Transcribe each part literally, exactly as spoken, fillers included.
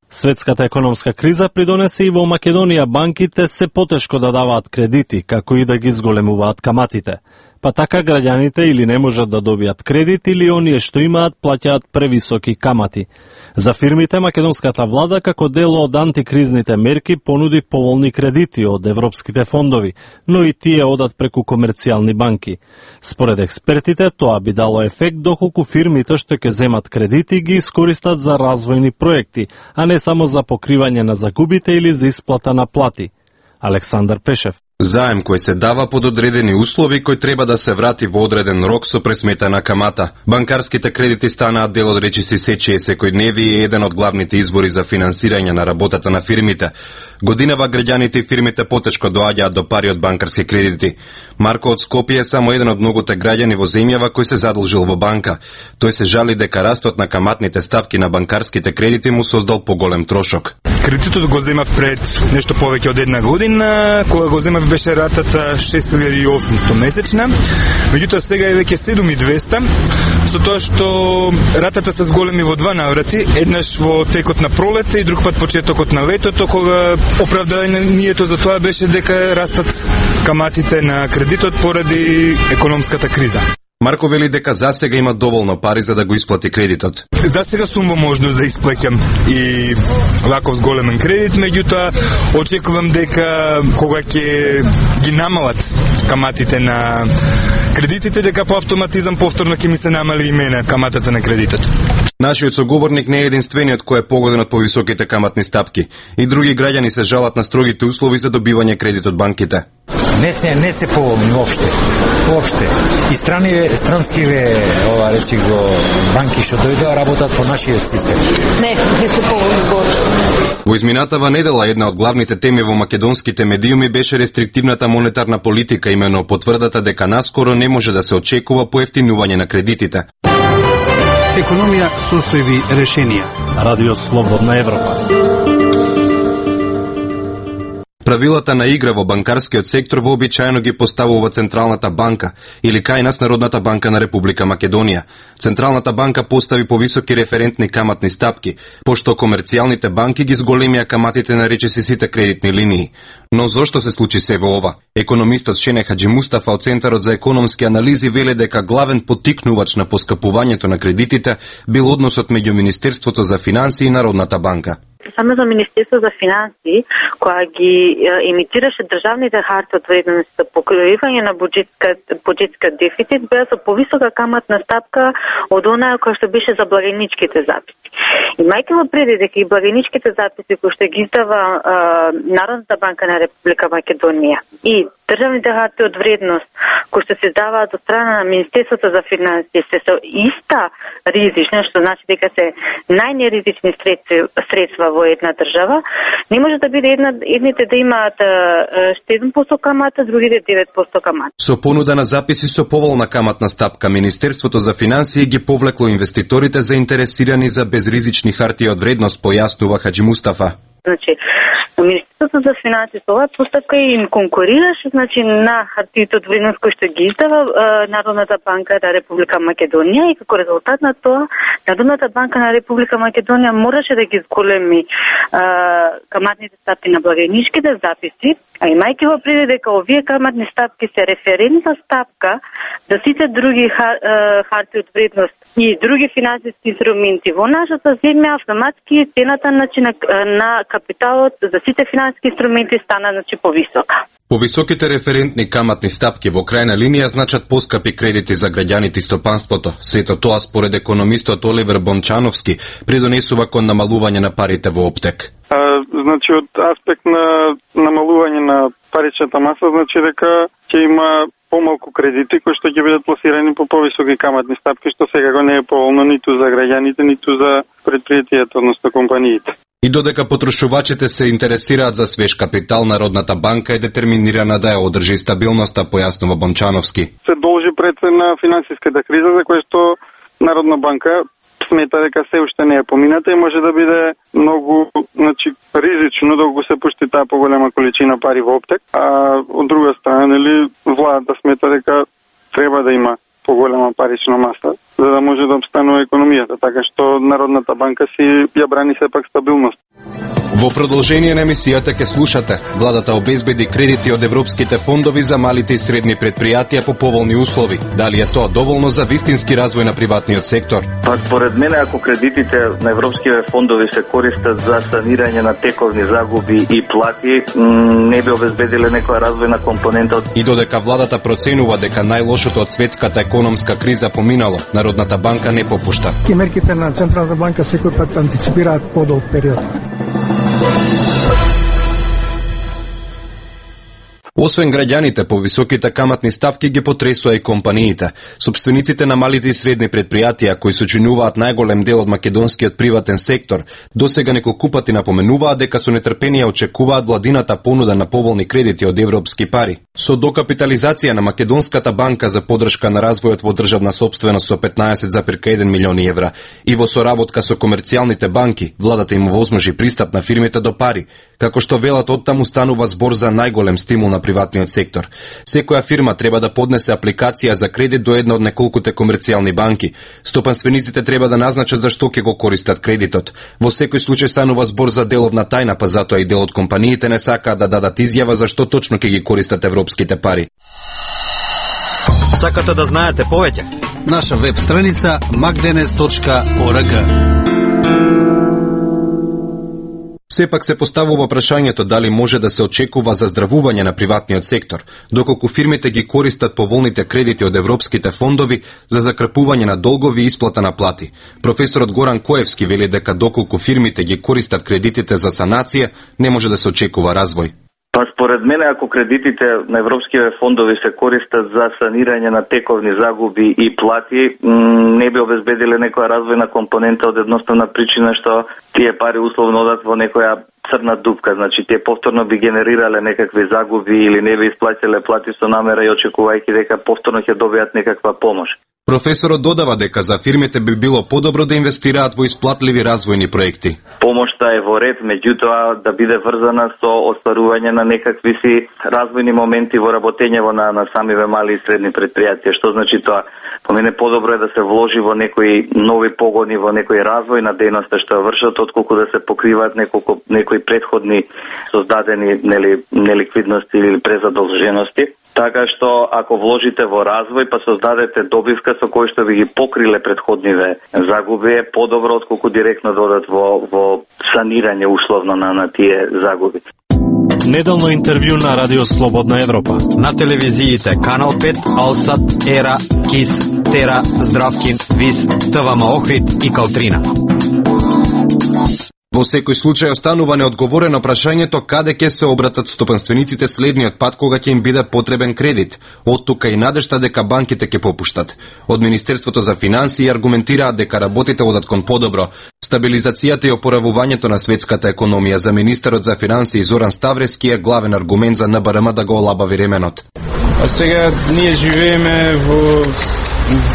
Светската економска криза придонесе и во Македонија банките се потешко да даваат кредити, како и да ги зголемуваат каматите. Па така граѓаните или не можат да добијат кредит, или оние што имаат плаќаат превисоки камати. За фирмите, македонската влада, како дел од антикризните мерки, понуди поволни кредити од европските фондови, но и тие одат преку комерцијални банки. Според експертите, тоа би дало ефект доколку фирмите што ќе земат кредити ги искористат за развојни проекти, а не само за покривање на загубите или за исплата на плати. Александар Пешев. Заем кој се дава под одредени услови, кој треба да се врати во одреден рок со пресметана камата. Банкарските кредити станаат дел од речиси сечие секојдневни и еден од главните извори за финансирање на работата на фирмите. Годинава граѓаните и фирмите потешко доаѓаат до пари од банкарски кредити. Марко од Скопје е само еден од многуте граѓани во земјава кој се задолжил во банка. Тој се жали дека растот на каматните ставки на банкарските кредити му создал поголем трошок. Кредитот го земав пред нешто повеќе од една година, кога го земав беше ратата шест илјади и осумсто месечна, меѓутоа сега е веќе седум илјади и двесте, со тоа што ратата се зголеми во два наврати, еднаш во текот на пролета и друг пат почетокот на летото, кога оправданието за тоа беше дека растат каматите на кредитот поради економската криза. Марко вели дека засега има доволно пари за да го исплати кредитот. Засега сум во можност да исплаќам и ваков зголемен кредит, меѓутоа очекувам дека кога ќе ги намалат каматите на кредитите, дека по автоматизам повторно ќе ми се намали и мене каматата на кредитот. Нашиот соговорник не е единствениот кој е погоден од повисоките каматни стапки. И други граѓани се жалат на строгите услови за добивање кредит од банките. Не се не се поволни воопште. Воопште. И страни странскиве, ова речи го, банки што дојдоа работат по нашиот систем. Не, не се поволни воопште. Во изминатава недела една од главните теми во македонските медиуми беше рестриктивната монетарна политика, имено потврдата дека наскоро не може да се очекува поевтинување на кредитите. Економија, состојби, решенија. Радио Слободна Европа. Правилата на игра во банкарскиот сектор вообичаено ги поставува Централната банка или кај нас Народната банка на Република Македонија. Централната банка постави повисоки референтни каматни стапки, пошто комерцијалните банки ги зголемија каматите на речиси сите кредитни линии. Но зошто се случи се во ова? Економистот Шене Хаџимустафа од Центарот за економски анализи веле дека главен поттикнувач на поскапувањето на кредитите бил односот меѓу Министерството за финансии и Народната банка. Само за Министерство за финансии, која ги емитираше државните харти од вредност за покривање на буџетскиот дефицит, беа со повисока каматна стапка од онаа која што беше за благајничките записи. Имајќи во предвид дека и благајничките записи кои што ги издава а, Народната банка на Република Македонија и државните харти од вредност кои што се издаваат од страна на Министерството за финансии се со иста ризична, што значи дека се најнеризични средства во една држава, не може да биде една, едните да имаат седум проценти камата, другите девет проценти камата. Со понуда на записи со поволна каматна стапка, Министерството за финансии ги повлекло инвеститорите заинтересирани за безризични хартии од вредност, појаснува Хаџимустафа. Значи, Министерството за финансии со оваа постапка им конкурираше, значи, на хартиите од вредност кои што ги издава е, Народната банка на Република Македонија и како резултат на тоа Народната банка на Република Македонија мораше да ги зголеми е, каматните стапки на благајничките записи, а имајќи во предвид дека овие каматни стапки се референтна стапка за сите други хар, е, хартии од вредност и други финансиски инструменти во нашата земја, автоматски цената значи, на, на капиталот за сите финансиски инструменти стана значи повисока. Повисоките референтни каматни стапки во крајна линија значат поскапи кредити за граѓаните и стопанството. Сето тоа според економистот Оливер Бончановски придонесува кон намалување на парите во оптек. А, значи од аспект на намалување на паричната маса значи дека ќе има помалку кредити кои што ќе бидат пласирани по повисоки каматни стапки, што секако не е поволно ниту за граѓаните, ниту за предпријатијата, односно компаниите. И додека потрошувачите се интересираат за свеж капитал, Народната банка е детерминирана да ја одржи стабилноста, појаснува Бончановски. Се должи пред на финансиската криза, за која што Народна банка смета дека се уште не е помината и може да биде многу, значи, ризично да го се пушти таа поголема количина пари во оптек, а од друга страна, нели, владата смета дека треба да има поголема парична маса за да може да обстанува економијата, така што Народната банка си ја брани сепак стабилност. Во продолжение на емисијата ќе слушате: владата обезбеди кредити од европските фондови за малите и средни предпријатија по поволни услови. Дали е тоа доволно за вистински развој на приватниот сектор? Па според мене, ако кредитите на европските фондови се користат за санирање на тековни загуби и плати, не би обезбедиле некоја развојна компонента. И додека владата проценува дека најлошото од светската економска криза поминало, Народната банка не попушта. И мерките на Централната банка секој пат антиципираат подолг период. Освен граѓаните, по високите каматни ставки ги потресува и компаниите. Собствениците на малите и средни предпријатија, кои сочинуваат најголем дел од македонскиот приватен сектор, досега неколку пати напоменуваат дека со нетрпение очекуваат владината понуда на поволни кредити од европски пари. Со докапитализација на Македонската банка за поддршка на развојот во државна сопственост со петнаесет зарез еден милиони евра и во соработка со комерцијалните банки, владата им овозможи пристап на фирмите до пари, како што велат оттаму станува збор за најголем стимул на приватниот сектор. Секоја фирма треба да поднесе апликација за кредит до една од неколкуте комерцијални банки. Стопанствениците треба да назначат за што ќе го користат кредитот. Во секој случај станува збор за деловна тајна, па затоа и дел од компаниите не сакаат да дадат изјава за што точно ќе ги користат европските пари. Сакате да знаете повеќе? Наша веб страница макденес точка орг. Сепак се поставува прашањето дали може да се очекува заздравување на приватниот сектор, доколку фирмите ги користат поволните кредити од европските фондови за закрпување на долгови и исплата на плати. Професорот Горан Коевски вели дека доколку фирмите ги користат кредитите за санација, не може да се очекува развој. Па според мене, ако кредитите на европските фондови се користат за санирање на тековни загуби и плати, не би обезбедиле некоја развојна компонента од едноставна причина што тие пари условно одат во некоја црна дупка, значи тие повторно би генерирале некакви загуби или не би исплатиле плати со намера и очекувајќи дека повторно ќе добијат некаква помош. Професорот додава дека за фирмите би било подобро да инвестираат во исплатливи развојни проекти. Помошта е во ред, меѓутоа да биде врзана со остварување на некакви си развојни моменти во работењето на, на самиве мали и средни предпријатија. Што значи тоа? По мене подобро е да се вложи во некои нови погони, во некој развој на дејноста што вршат, отколку да се покриваат неколку некои претходни создадени нели неликвидности или презадолжености. Така што ако вложите во развој па создадете добивка со кој што ви ги покриле претходниве загуби, е подобро отколку директно додат во во санирање условно на на тие загуби. Неделно интервју на Радио Слободна Европа. На телевизиите Канал пет, Алсат, Ера, Кис, Тера, Здравкин, Вис, ТВМ Охрид и Калтрина. Во секој случај останува неодговорено прашањето каде ќе се обратат стопанствениците следниот пат кога ќе им биде потребен кредит. Од тука и надежта дека банките ќе попуштат. Од Министерството за финансии аргументираат дека работите одат кон подобро. Стабилизацијата и опоравувањето на светската економија за министерот за финансии Зоран Ставрески е главен аргумент за Н Б Р М да го олабави ременот. А сега ние живееме во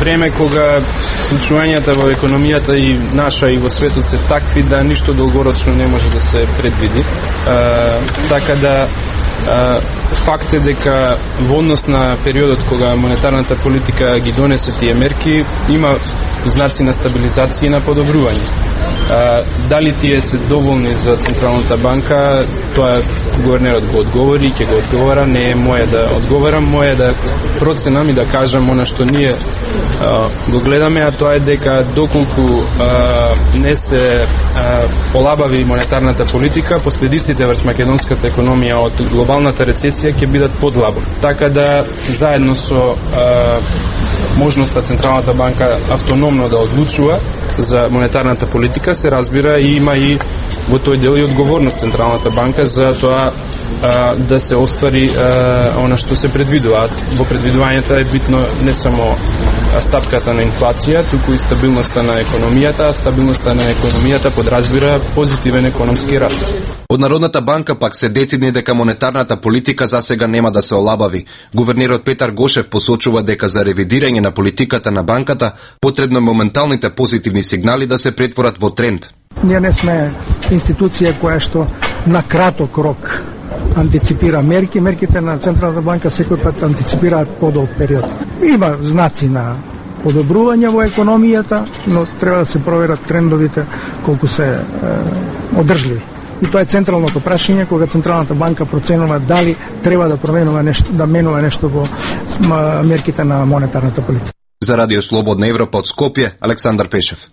време кога случувањата во економијата и наша и во светот се такви да ништо долгорочно не може да се предвиди. А, така да а, факт е дека во однос на периодот кога монетарната политика ги донесе тие мерки, има знаци на стабилизација и на подобрување. А, дали тие се доволни за Централната банка, тоа гувернерот го одговори, ќе го одговара, не е моја да одговарам, моја да проценам и да кажам она што ние а, го гледаме, а тоа е дека доколку а, не се а, олабави монетарната политика, последиците врз македонската економија од глобалната рецесија ќе бидат подлабоки. Така да заедно со а, можноста Централната банка автономно да одлучува за монетарната политика, се разбира и има и во тој дел и одговорност Централната банка за тоа а, да се оствари а, она што се предвидува. Во предвидувањето е битно не само стапката на инфлација, туку и стабилноста на економијата, а стабилноста на економијата подразбира позитивен економски раст. Од Народната банка пак се децидни дека монетарната политика засега нема да се олабави. Гувернерот Петар Гошев посочува дека за ревидирање на политиката на банката потребно моменталните позитивни сигнали да се претворат во тренд. Ние не сме институција која што на краток рок антиципира мерки. Мерките на Централната банка секој пат антиципираат подолг период. Има знаци на подобрување во економијата, но треба да се проверат трендовите колку се е, одржливи. И тоа е централното прашање кога Централната банка проценува дали треба да променува нешто, да менува нешто во мерките на монетарната политика. За Радио Слободна Европа од Скопје, Александар Пешев.